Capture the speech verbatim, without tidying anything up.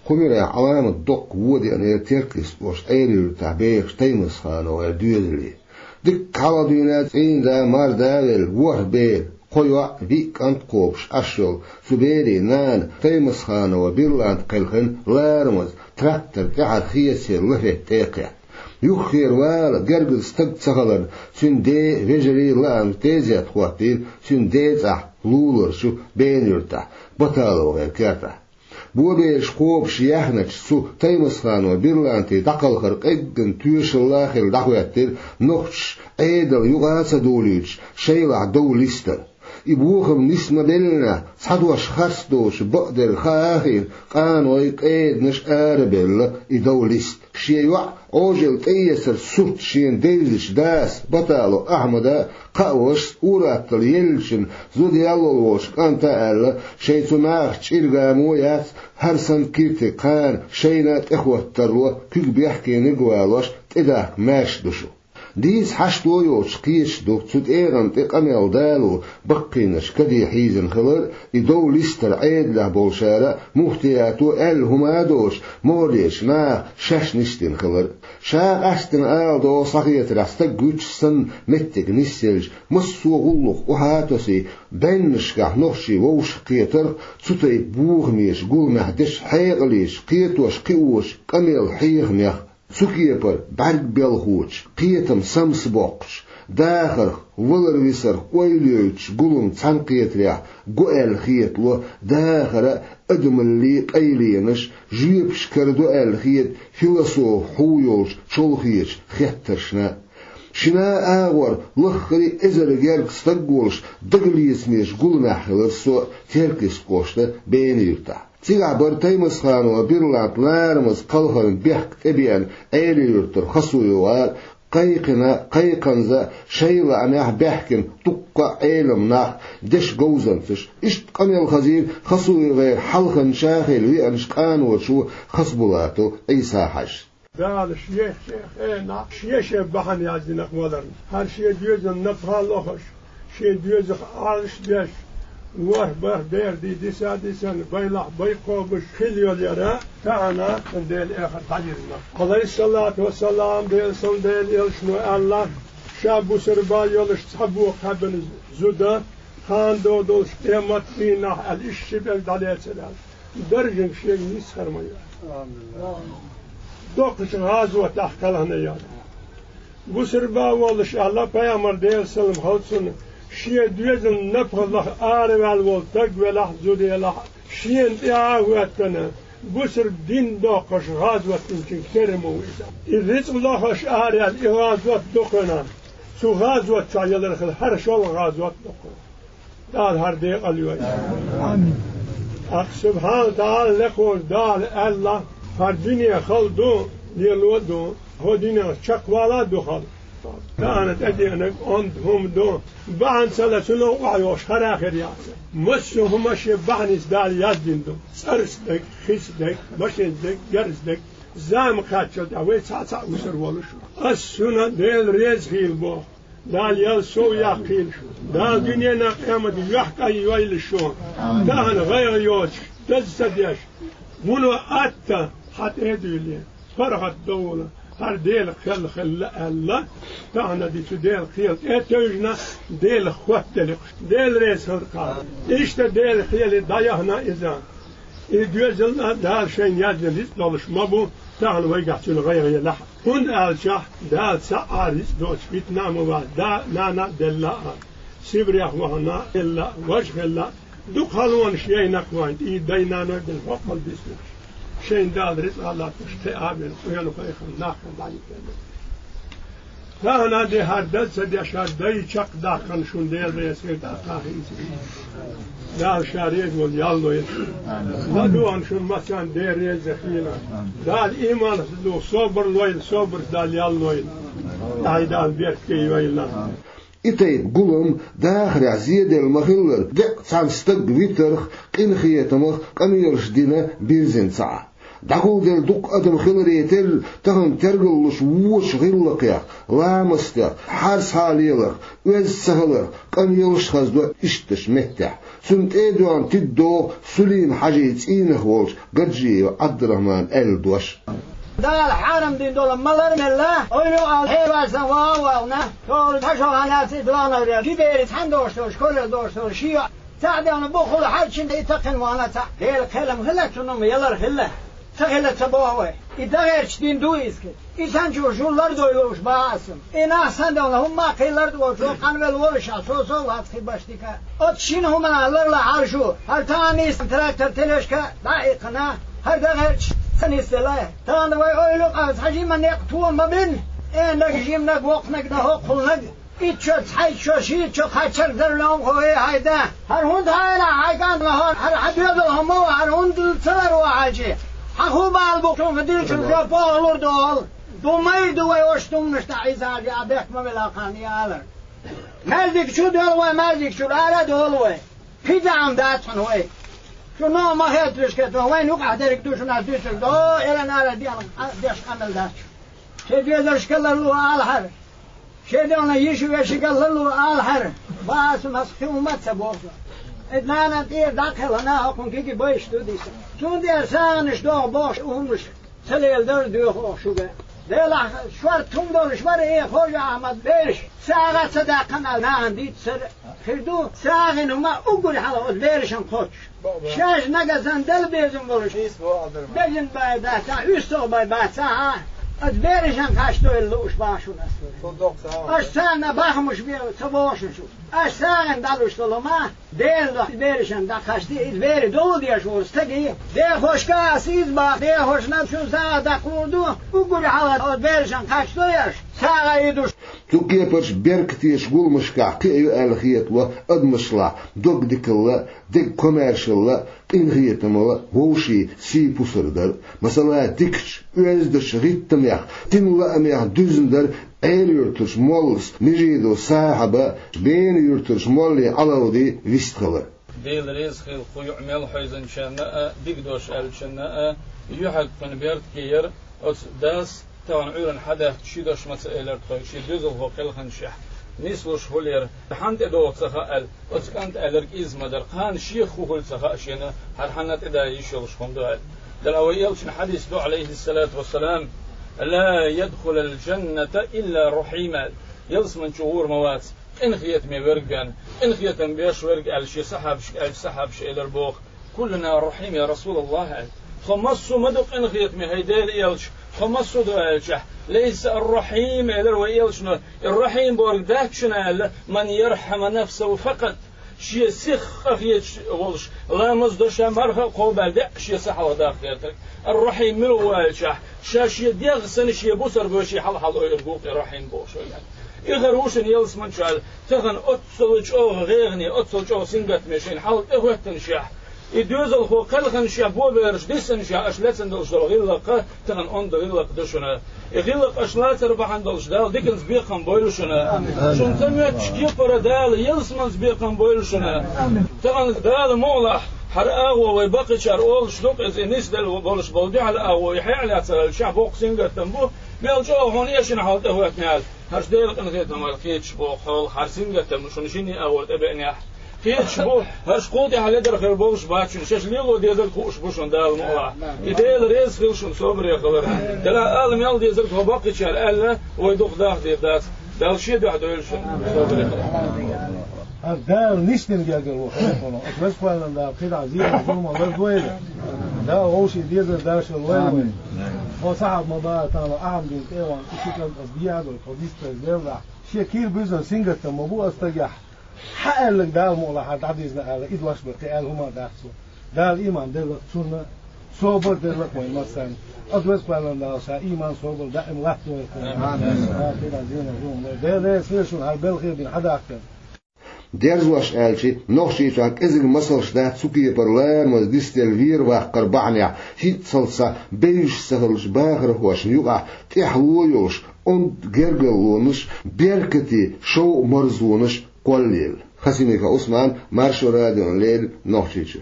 Кху муьрехь Ӏаламат доккха вон деана яра Теркйист-кӀоштан Ӏела-Юьртахь бехаш ТаймасхановгӀеран доьзале. Дикка хьалха дуьйна цӀийнда, марда а велла, ворхӀ бер, кхо йоӀ, виъ кӀант кхобуш Ӏаш йолу цу берийн нана Таймасханова Бирланта кхелхина ларамаза трактор тӀаьхьара хецаран лафетта тӀе а кхетта. Юххера вала гергара стаг ца хиларна, цуьнан ден, вежарийн лаамца тезет хӀоттийра цуьнан ден цӀахь луларчу Бена-Юьртахь, БаталовгӀеран кертахь. Бобераш кхобуш яьхначу цу Таймасханова Бирлантин дӀакхалхар къеггина тоьшалла а хилла дӀахӀоьттира нохчаша Ӏедал юкъа а ца долуьйтуш шайлахь дов листар. И бохам нисбеллинехь, цхьа дош харц доцуш бакъдерг хаа а хиъна, къаной, къеданаш арабевлла и дов листа. Шен йоӀ Ӏожалла тӀеэцаран сурт шена девзачу дас, Баталов Ахьмада, кхаа вашас, ур-атталла еллачун зуда ял луш волчу кӀанта а аьлла, шайн цу нахаца чӀир-гамо а яц, хӀара санна киртиг кхана шайна а тӀехӀоттарло куьг бехкениг а валош, тӀедахка маьрша ду шу. Дийца хьашт а йоцуш кхеташ ду цу тӀегӀан тӀе къамел дало баккхийнарш каде хьийзина хилар а, и дов листар Ӏедалехь болчара а, муфтиято аьлла хӀума а доцуш, могӀарерчу наха шаьш нисдина хилар а. Ша къаьсттина ала догӀу схьахетарехь, стаг вуьтуш санна меттиг нисъелча, массо а гӀуллакх охьа а тосий, бӀеннашкахь нохчий вовшахкхетарх, цу тайпа бохамеша гуламехь дечу хьекъалечу, кхетош-кхиочу къамел хьехамех. Цу кепара бӀаьрг белхочу, кхетам самсабоккхучу, дахарх, валар-висарх ойла йойтучу гулам цхьаьнакхетарехь го аьлла хетало дахара а, адамаллин къайленаш, жоьпаш карадо аьлла хета философ хьу йолчу чолхечу хеттаршна. Шина а агӀор лаххара а эзар гергга стаг волуш, дагалецамечу гуламехь хилира со Теркйист-кӀоштан Бена-Юьртахь. Цигахь бара Таймасханова Бирланта ларамаза кхалхарна бехк тӀебеана Ӏела-Юьртара ХасуевгӀар, кхайкхина, кхайкханза шайн лаамехь баьхкина дуккха а Ӏеламнах, дешан говзанчаш. Иштта къамел хазийра ХасуевгӀеран хьалханча а хилла веанчу къаночо Хасбулатов Ӏийса-Хьаьжас. Дала шен-шен хенахь шен-шен бахьана яздинарг валарна. ХӀара шен доьзална напха а лохуш, шен доьзалх Ӏалаш а деш, ворхӀ-бархӀ бер дийца а дийцина, байлахь бай кхобуш хилла йолу яра, тахана цунна Делан эхарт дӀайирзина. Ӏалайхиссалату вассалам, Делан салам-Делан элчано аьлла, ша бусурба йолуш цхьа бохам кхаьбина зуда, ханна догӀу долуш къематдийнахь аьлла, иштта ши берг дӀалецира аьлла. Даржанаш шега нисхар ма ю. Доккхачу гӀазотехь кхелхина яра. Бусурба а волуш аьлла, пайхамар, Делан салам хилла цунна, шен доьзална напха лаха араваьлла волу стаг велахь а, зуда елахь а, шена тӀе а хӀоьттина, бусурба дин доккхуш гӀазот динчуьнга терра ма ву иза. И рицкъ лохуш араяьлла и гӀазот дукхина, цу гӀазот чохь ялар хила хӀара шолгӀа гӀазот дукхина. Дала хӀара декъал йойла. Амин. ТӀаккха Субхьана ТаӀала лекхачу Дала аьлла: «ХӀара дуьне хала ду, лело а ду, хӀокху дуьненах чекхвала а ду хала. Тахана тӀедеанарг онда хӀума ду, бахьана ца ло цунах охьайогӀуш хӀара а хир яц. Массо а хӀума шен бахьаница Дала яздина ду: цӀарца дерг, хица дерг, машенца дерг, герзаца дерг. Зама кхаччалц тӀехь вай цхьаъ-цхьаъ вусар волуш ву. Ас шуна Дела реза хийла боху». Дала ял сов яккхийла шу. Дала дуьненан къематан юьхь кӀаййойла шу. Амин. Тахана гӀайгӀа йоцуш, даза ца деш, вуно атта хьан тӀе а дуьйлий, паргӀат довла, хӀара Делан кхел хилла аьлла, тахана ди цу Делан кхел тӀе а тевжина, Делах хоттаделла. Дела реза хилла кхара. Иштта Делан кхеле дӀаяхана иза. И доьзална Дала шайна яздина рицкъ долуш ма бу, тахана вайгахь цуьнан гӀайгӀа елахь а. ХӀунда аьлча Дала цхьа а рицкъ доцуш битина а ма вац, да а, нана а делла а, Сибрех вахана а елла а, важа хилла а, дукха халонаш яйнарг вайн, и дай-наной бина хӀокхул дисинарш. Шайна Дала рицкъ а латтош, кхиа а бина, къоьнан пайхамар нах а дӀайитина. Тахана а де хӀара даза ца деш, хӀара дай чекхдаккхарна шуна Дела реза хир ду, тӀаккха а хӀинца. Дала Ша реза волу ял лойла шуна. ЛадугӀарна шуна массарна Дела реза хийла. Дала ийманца ду, собар лойла, собарца Дала ял лойла. Ай Дала беркате йойла. И тайпа гулам дахарехь зеделла ма-хиллара, деккъа цхьана стаг витарх, къинхетамах къамелаш дина бирзина ца Ӏа. ДӀагулделла дукха адам хиларе терра, тахан тергаллуш вочу гӀиллакхех, ламастех, хьарсхьа леларх, оьзда ца хиларх, къамелаш а хазадо ишттачу меттехь. Цунна тӀе а доьгӀна тиддо Сулим-Хьажин цӀийнах волчу Гаджиев Ӏабдурахьмана аьлла дош. Дала хьарам дина долу малар а мелла, ойла а хьевар сан вагӀа а вагӀна, шолгӀа цхьа шо хьан яц иза лахнарел, ши дери цхьаьна дош долуш, школе дош долуш, ши йоӀ цхьаъ девна бухула хьаьрчина и такхина вахана цхьаъ. Дела кхелам хила, цунна ма ялар хила. Ца хила ца боху вай. И дагӀерчу дин ду иза. И санчо шу лардой лууш баха аса. И нах сан девна хӀумма а кхин лард волчо къанвелла волуш а, со-со вац хи баш дика. Оцу шина хӀуманах ларлахьара шу, хӀара тахана нисна трактор, тележка дӀа а иккхина, хӀара дагӀерчу ца нисделла. Тахана вай ойла а къа цхьа жима некъ тома ма бина. Э, наг жимнаг, воккханаг дан хӀоккхулнаг. Итт шо, цхьайтта шо, шийтта шо кхаччалц дара лоьмхо, э, хьайда. ХӀара хӀунда хьайна хьайн кӀант лахьара, хӀара хьан доьзал хӀума ву, хӀара хӀунда ца лар ву хьаьжи? Хьан хӀун бала бу, цунах дилчун жоп оха лур ду хьуна. Ду майра ду вай оцу тумнаш тӀе Ӏийса хьаьжи, а бехк ма вела кхана и алар. Маьждиг чу доьлу вай, маьждиг чуьра ара а долу вай. КхидӀа Ӏам дац хьуна вай. Шу ногӀу ма хеталаш кхетон, вайна юкъахь дерг ду шуна дуьйцург, до, эран ара деш къамел дац. Шен доьзалшка ларло алахьара. Шен дегӀна йиша вешига ларло алахьара. Баха аса маса хи хӀума а ца боху. Иза нана тӀера дӀакхелхана, хӀокхун киги байш ду диса. Цундела сагӀанаш доху бохуш, хӀуманаш ца леладар а доьху оха шуьга. Делахь шорта хӀума долуш вара, э, Хожа-Ахьмад, бераш сагӀа ца даьккхина аьлла, нахана дийццара хир ду, сагӀина хӀума уггар хьалха оцу берашна кхоччуш. Шаьш нагахь санна дала безам болуш, бежан бай бац, уьстагӀ бай бац, а, оцу берашна кхачдойла лууш баха шуна аса. Аша царна бахамаш бе ца боху шуна шу. Аша сагӀина дӀалуш долу ма, Дела доху берашна дӀакхачди, иза бери довла деш волу стаги. Дехошка аса иза баха, дехошна шун сагӀа даккхалур ду, уггар хьалха оцу берашна кхачдой аша, сагӀа йидуш. Цу кепарчу беркатечу гуламашкахь кхиа ю аьлла хетало адамашлахь догдикалла, дегкомаьршалла, къинхетамалла, вовшийн сий-пусар дар. Масала, дикачу, оьздачу гӀиттамех, динан лаамех дуьзна дар Ӏела-Юьртарчу моллас Межидов Сахьаба, Бена-Юьртарчу молле Ӏалавди вистхилар. Дела реза хила кху юкъа мел хьевзинчарна а, дика дош аьллачарна а, юьхьиг кхуьнан беркате яра. Оцу дас тахана Ӏуьйранна хьадаьхкича ши дош ма ца элира тхоьга, шен доьзалхо кхелхинчехь нислуш хӀулера, хьанна тӀедогӀу ца хаьа аьлла, оцу кӀанта аьлларг иза ма дара, кхана шех хӀун хуьлу ца хаьа шена, хӀара хьанна тӀеда йиш йолуш хӀума ду аьлла. Делахь вай элчан хьадис ду, Ӏалайхиссалату вассалам: «Ла ядхулал джанната илла рахьим», аьлла. Ялсамани чу гӀур ма вац къинхетаме верг бен, къинхетам беш верг аьлла шен сахьабашка аьлча, сахьабаша элира боху: «Куллуна рахьим, я Расулаллах», аьлла. Тхо массо а ма ду къинхетаме, хӀай Делан элча, тхо массо а ду аьлчахь, «Лайса ар-рахьим», элира вай элчано, и рахьим бохург дац шуна аьлла, «ман ярхьаму нафсаху факъат», шен сих къахеташ волуш, ламаз а до ша, марха а кхобаьлла, деа шен са хьалха даккха гӀертарг. Ар-рахьим мила ву аьлчахь, ша шен дегӀ санна шен бусалба вешин хьал-хьал ойург ву-кх и рахьим бохуш вай аьлла. И хӀара ву шуна ялсамани чу аьлла, тахана оццул чӀогӀа гӀайгӀане, оццул чӀогӀа сингаттаме шайна хьал тӀехӀоьттинчехь, и доьзалхо кхелхинчехь, бобераш диссинчехь, аша лецна долуш долу гӀиллакх тахана онда гӀиллакх ду шуна. И гӀиллакх аша лацар бахьана долуш Дала диканца бекхам бойла шуна. Шуна ца моьттучу кепара Дала ялсаманца бекхам бойла шуна. Тахана Дала мукъалахь, хӀара агӀо вай баккхийчара олуш ду-кх иза, и нисделла болуш болу дуьхьал агӀо, и хьекъал яцара аьлча, боккха сингаттам бу, мел чӀогӀа хьуна эшина хьал тӀехӀоьттина аьлла. ХӀорш Делан къинхетамал кхеташ боху хьол, хӀара сингаттам шуна шинне агӀор тӀебеанехь. Кхеташ бу, хӀорш кхул тӀехь ледар хир болуш бац шуна, шаьш лело дезарг хууш бу шуна Дала мукъалахь. И Дела реза хила шуна собаре хилар. Делахь ала мел дезарг хьо баккхийчара аьлла, вай дукха даха дийр дац. Дала шен дуьхьа дойла шуна собаре хилар. ХӀара Дала нисдина гергара ву хьекъало. Аса веза-кхоьллина Дала кхидӀа зийна зулам лардойла. Дала вовшийн дезар дашар лойла вай. Хьо сахьаб ма баха тахана, Ахьмадин тӀе а вахана, и ши кӀант аса дехьадо, тхо дистаза леллахь. Шен кийра буьзна сингаттам ма бу аса стагехь. Хьан аьлларг Дала мукъалахь дӀадизна аьлла, и дош бан кхин аьлла хӀума дац цо. Дала ийман делла-кх цунна, собар делла-кх вайн массарна. Аса веза-кхоьллина Дала ша ийман, собар даим латтадойла-кх вайн. Амин. Дала кхидӀа зийна зулам лойла. Дела реза хила шуна хӀара белхий дина хьадахкар. Дерзош аьлча, Нохчийчохь кӀезиг масалш дац цу кепара ламаз дистелла вер-ваккхар бахьанехь, хӀинццалц схьа бевзаш ца хиллачу бахархошна юкъахь тӀаьхьало йолуш, онда гергарлонаш, беркате шовкъ-марзонаш кхоллаелла. Хасимиков Ӏусман, Маршо радиона леррина, Нохчийчоь.